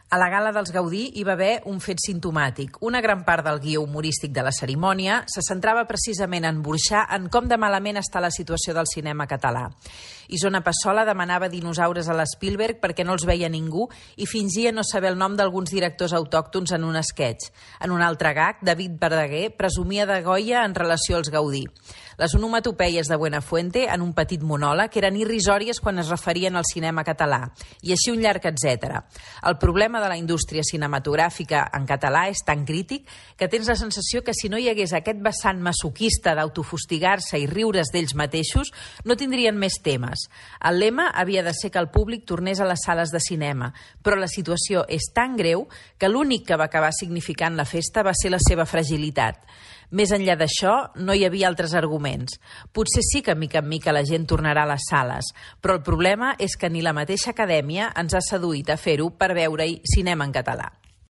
A la gala dels Gaudí hi va haver un fet simptomàtic. Una gran part del guió humorístic de la cerimònia se centrava precisament en burxar en com de malament està la situació del cinema català. Isona Passola demanava dinosaures a l'Spielberg perquè no els veia ningú i fingia no saber el nom d'alguns directors autòctons en un sketch. En un altre gag, David Verdaguer presumia de Goya en relació als Gaudí. Les onomatopeies de Buenafuente, en un petit monòleg, eren irrisòries quan es referien al cinema català, i així un llarg etcètera. El problema de la indústria cinematogràfica en català és tan crític que tens la sensació que si no hi hagués aquest vessant masoquista d'autofustigar-se i riure's d'ells mateixos, no tindrien més temes. El lema havia de ser que el públic tornés a les sales de cinema, però la situació és tan greu que l'únic que va acabar significant la festa va ser la seva fragilitat. Més enllà d'això, no hi havia altres arguments. Potser sí que mica en mica la gent tornarà a les sales, però el problema és que ni la mateixa acadèmia ens ha seduït a fer-ho per veure-hi cinema en català.